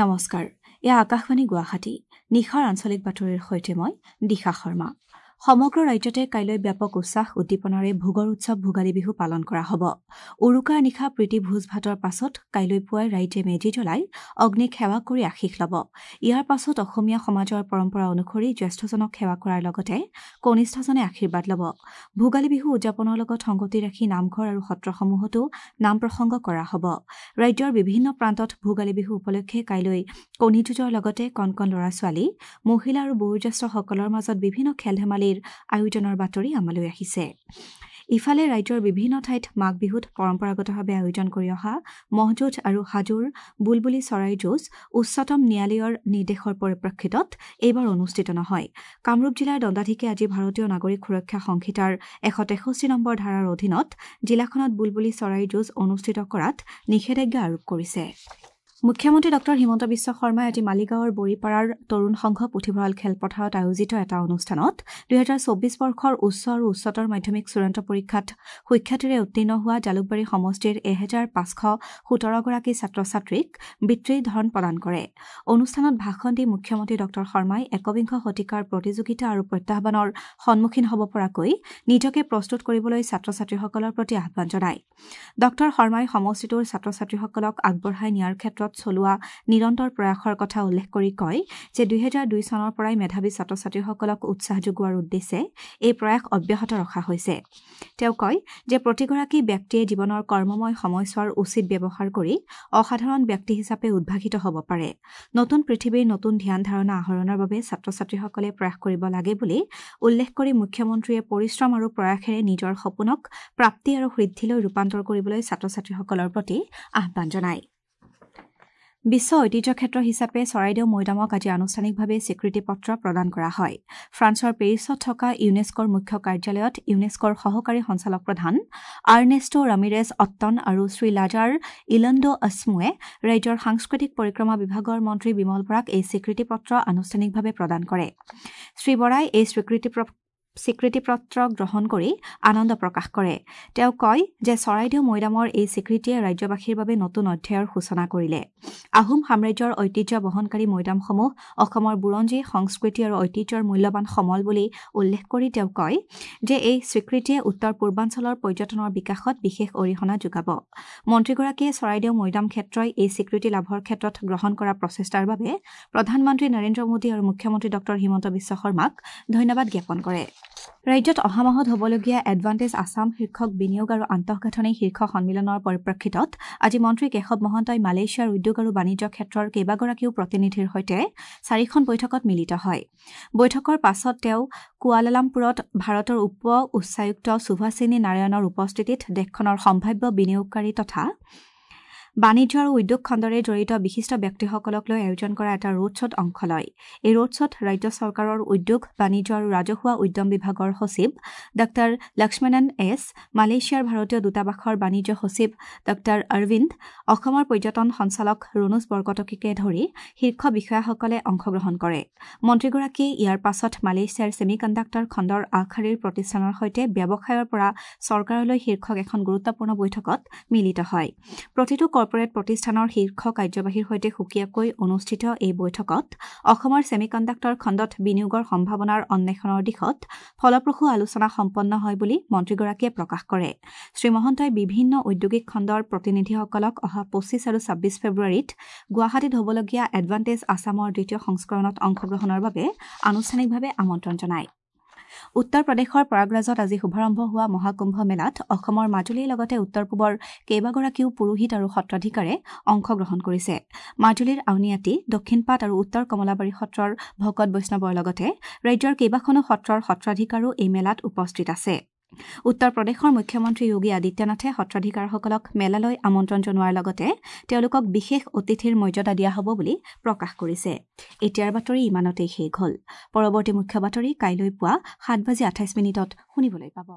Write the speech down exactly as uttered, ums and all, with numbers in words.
নমস্কাৰ, এয়া আকাশবাণী গুৱাহাটী। নিশাৰ আঞ্চলিক বাতৰিৰ সৈতে মই দিশা শৰ্মা। সমগ্ৰ ৰাজ্যতে কাইলৈ ব্যাপক উৎসাহ উদ্দীপনাৰে ভোগৰ উৎসৱ ভোগালী বিহু পালন কৰা হ'ব। উৰুকাৰ নিশা প্ৰীতি ভোজ ভাতৰ পাছত কাইলৈ পুৱাই ৰাইজে মেজি জ্বলাই অগ্নিক সেৱা কৰি আশীষ ল'ব। ইয়াৰ পাছত অসমীয়া সমাজৰ পৰম্পৰা অনুসৰি জ্যেষ্ঠজনক সেৱা কৰাৰ লগতে কনিষ্ঠজনে আশীৰ্বাদ ল'ব। ভোগালী বিহু উদযাপনৰ লগত সংগতি ৰাখি নামঘৰ আৰু সত্ৰসমূহতো নাম প্ৰসংগ কৰা হ'ব। ৰাজ্যৰ বিভিন্ন প্ৰান্তত ভোগালী বিহু উপলক্ষে কাইলৈ কণী যুঁজৰ লগতে কণ কণ ল'ৰা ছোৱালী, মহিলা আৰু বয়োজ্যেষ্ঠসকলৰ মাজত বিভিন্ন খেল ধেমালি আয়োজনৰ বাতৰি আমালৈ আহিছে। ইফালে ৰাজ্যৰ বিভিন্ন ঠাইত মাঘ বিহুত পৰম্পৰাগতভাৱে আয়োজন কৰি অহা ম'হ যুঁজ আৰু হাজোৰ বুলবুলি চৰাইৰ যুঁজ উচ্চতম ন্যায়ালয়ৰ নিৰ্দেশৰ পৰিপ্ৰেক্ষিতত এইবাৰ অনুষ্ঠিত নহয়। কামৰূপ জিলাৰ দণ্ডাধীশে আজি ভাৰতীয় নাগৰিক সুৰক্ষা সংহিতাৰ এশ তেষষ্ঠি নম্বৰ ধাৰাৰ অধীনত জিলাখনত বুলবুলি চৰাইৰ যুঁজ অনুষ্ঠিত কৰাত নিষেধাজ্ঞা আৰোপ কৰিছে। মুখ্যমন্ত্ৰী ডক্টৰ হিমন্ত বিশ্ব শৰ্মাই আজি মালিগাঁৱৰ বৰিপাৰাৰ তৰুণ সংঘ পুথিভঁৰাল খেলপথাৰত আয়োজিত এটা অনুষ্ঠানত দুহেজাৰ চৌব্বিছ বৰ্ষৰ উচ্চ আৰু উচ্চতৰ মাধ্যমিক চূড়ান্ত পৰীক্ষাত সুখ্যাতিৰে উত্তীৰ্ণ হোৱা জালুকবাৰী সমষ্টিৰ এহেজাৰ পাঁচশ সোতৰগৰাকী ছাত্ৰ ছাত্ৰীক বৃত্তিৰ ধন প্ৰদান কৰে। অনুষ্ঠানত ভাষণ দি মুখ্যমন্ত্ৰী ডক্টৰ শৰ্মাই একবিংশ শতিকাৰ প্ৰতিযোগিতা আৰু প্ৰত্যাহ্বানৰ সন্মুখীন হ'ব পৰাকৈ নিজকে প্ৰস্তুত কৰিবলৈ ছাত্ৰ ছাত্ৰীসকলৰ প্ৰতি আহ্বান জনায়। ডক্টৰ শৰ্মাই সমষ্টিটোৰ ছাত্ৰ ছাত্ৰীসকলক আগবঢ়াই নিয়াৰ ক্ষেত্ৰত চলোৱা নিৰন্তৰ প্ৰয়াসৰ কথা উল্লেখ কৰি কয় যে দুহেজাৰ দুই চনৰ পৰাই মেধাৱী ছাত্ৰ ছাত্ৰীসকলক উৎসাহ যোগোৱাৰ উদ্দেশ্যে এই প্ৰয়াস অব্যাহত ৰখা হৈছে। তেওঁ কয় যে প্ৰতিগৰাকী ব্যক্তিয়ে জীৱনৰ কৰ্মময় সময়ছোৱাৰ উচিত ব্যৱহাৰ কৰি অসাধাৰণ ব্যক্তি হিচাপে উদ্ভাসিত হ'ব পাৰে। নতুন পৃথিৱীৰ নতুন ধ্যান ধাৰণা আহৰণৰ বাবে ছাত্ৰ ছাত্ৰীসকলে প্ৰয়াস কৰিব লাগে বুলি উল্লেখ কৰি মুখ্যমন্ত্ৰীয়ে পৰিশ্ৰম আৰু প্ৰয়াসেৰে নিজৰ সপোনক প্ৰাপ্তি আৰু সিদ্ধিলৈ ৰূপান্তৰ কৰিবলৈ ছাত্ৰ ছাত্ৰীসকলৰ প্ৰতি আহ্বান জনায়। বিশ্ব ঐতিহ্য ক্ষেত্ৰ হিচাপে চৰাইদেউ মৈদামক আজি আনুষ্ঠানিকভাৱে স্বীকৃতি পত্ৰ প্ৰদান কৰা হয়। ফ্ৰান্সৰ পেৰিছত থকা ইউনেস্কোৰ মুখ্য কাৰ্যালয়ত ইউনেস্কোৰ সহকাৰী সঞ্চালক প্ৰধান আৰ্নেষ্টো ৰামিৰেজ অট্টন আৰু শ্ৰী লাজাৰ ইলণ্ডো আছমুৱে ৰাজ্যৰ সাংস্কৃতিক পৰিক্ৰমা বিভাগৰ মন্ত্ৰী বিমল বৰাক এই স্বীকৃতি পত্ৰ আনুষ্ঠানিকভাৱে প্ৰদান কৰে। শ্ৰী বৰাই এই স্বীকৃতি স্বীকৃতিপত্ৰ গ্ৰহণ কৰি আনন্দ প্ৰকাশ কৰে। তেওঁ কয় যে চৰাইদেউ মৈদামৰ এই স্বীকৃতিয়ে ৰাজ্যবাসীৰ বাবে নতুন অধ্যায়ৰ সূচনা কৰিলে। আহোম সাম্ৰাজ্যৰ ঐতিহ্য বহনকাৰী মৈদামসমূহ অসমৰ বুৰঞ্জী, সংস্কৃতি আৰু ঐতিহ্যৰ মূল্যৱান সমল বুলি উল্লেখ কৰি তেওঁ কয় যে এই স্বীকৃতিয়ে উত্তৰ পূৰ্বাঞ্চলৰ পৰ্যটনৰ বিকাশত বিশেষ অৰিহণা যোগাব। মন্ত্ৰীগৰাকীয়ে চৰাইদেউ মৈদাম ক্ষেত্ৰই এই স্বীকৃতি লাভৰ ক্ষেত্ৰত গ্ৰহণ কৰা প্ৰচেষ্টাৰ বাবে প্ৰধানমন্ত্ৰী নৰেন্দ্ৰ মোদী আৰু মুখ্যমন্ত্ৰী ডক্টৰ হিমন্ত বিশ্ব শৰ্মাক ধন্যবাদ জ্ঞাপন কৰে। ৰাজ্যত অহা মাহত হ'বলগীয়া এডভান্টেজ আছাম শীৰ্ষক বিনিয়োগ আৰু আন্তঃগাঁথনি শীৰ্ষ সন্মিলনৰ পৰিপ্ৰেক্ষিতত আজি মন্ত্ৰী কেশৱ মহন্তই মালয়েছিয়াৰ উদ্যোগ আৰু বাণিজ্য ক্ষেত্ৰৰ কেইবাগৰাকীও প্ৰতিনিধিৰ সৈতে চাৰিখন বৈঠকত মিলিত হয়। বৈঠকৰ পাছত তেওঁ কুৱালালামপুৰত ভাৰতৰ উপ উচ্চায়ুক্ত সুভাষিনী নাৰায়ণৰ উপস্থিতিত দেশখনৰ সম্ভাৱ্য বিনিয়োগকাৰী তথা বাণিজ্য আৰু উদ্যোগ খণ্ডৰে জড়িত বিশিষ্ট ব্যক্তিসকলক লৈ আয়োজন কৰা এটা ৰোড শ্ব'ত অংশ লয়। এই ৰোড শ্ব'ত ৰাজ্য চৰকাৰৰ উদ্যোগ, বাণিজ্য আৰু ৰাজহুৱা উদ্যম বিভাগৰ সচিব ডাঃ লক্ষ্মণন এছ, মালয়েছিয়াৰ ভাৰতীয় দূতাবাসৰ বাণিজ্য সচিব ডাঃ অৰবিন্দ, অসমৰ পৰ্যটন সঞ্চালক ৰণোজ বৰকটকীকে ধৰি শীৰ্ষ বিষয়াসকলে অংশগ্ৰহণ কৰে। মন্ত্ৰীগৰাকীয়ে ইয়াৰ পাছত মালয়েছিয়াৰ ছেমি কণ্ডাক্টৰ খণ্ডৰ আগশাৰীৰ প্ৰতিষ্ঠানৰ সৈতে ব্যৱসায়ৰ পৰা চৰকাৰলৈ শীৰ্ষক এখন গুৰুত্বপূৰ্ণ বৈঠকত মিলিত হয়। প্ৰতিটো কৰ্পৰেট প্ৰতিষ্ঠানৰ শীৰ্ষ কাৰ্যবাহীৰ সৈতে সুকীয়াকৈ অনুষ্ঠিত এই বৈঠকত অসমৰ ছেমি কণ্ডাক্টৰ খণ্ডত বিনিয়োগৰ সম্ভাৱনাৰ অন্বেষণৰ দিশত ফলপ্ৰসূ আলোচনা সম্পন্ন হয় বুলি মন্ত্ৰীগৰাকীয়ে প্ৰকাশ কৰে। শ্ৰীমহন্তই বিভিন্ন ঔদ্যোগিক খণ্ডৰ প্ৰতিনিধিসকলক অহা পঁচিছ আৰু ছাব্বিছ ফেব্ৰুৱাৰীত গুৱাহাটীত হ'বলগীয়া এডভান্টেজ আছামৰ দ্বিতীয় সংস্কৰণত অংশগ্ৰহণৰ বাবে আনুষ্ঠানিকভাৱে আমন্ত্ৰণ জনায়। উত্তৰ প্ৰদেশৰ প্ৰয়াগৰাজত আজি শুভাৰম্ভ হোৱা মহাকুম্ভ মেলাত অসমৰ মাজুলীৰ লগতে উত্তৰ পূবৰ কেইবাগৰাকীও পুৰোহিত আৰু সত্ৰাধিকাৰে অংশগ্ৰহণ কৰিছে। মাজুলীৰ আউনীআটী, দক্ষিণপাট আৰু উত্তৰ কমলাবাৰী সত্ৰৰ ভকত বৈষ্ণৱৰ লগতে ৰাজ্যৰ কেইবাখনো সত্ৰৰ সত্ৰাধিকাৰো এই মেলাত উপস্থিত আছে। উত্তৰ প্ৰদেশৰ মুখ্যমন্ত্ৰী যোগী আদিত্যনাথে সত্ৰাধিকাৰসকলক মেলালৈ আমন্ত্ৰণ জনোৱাৰ লগতে তেওঁলোকক বিশেষ অতিথিৰ মৰ্যাদা দিয়া হ'ব বুলি প্ৰকাশ কৰিছে। এতিয়াৰ বাতৰি ইমানতেই শেষ হ'ল। পৰৱৰ্তী মুখ্য বাতৰি কাইলৈ পুৱা সাত বাজি আঠাইছ মিনিটত শুনিবলৈ পাব।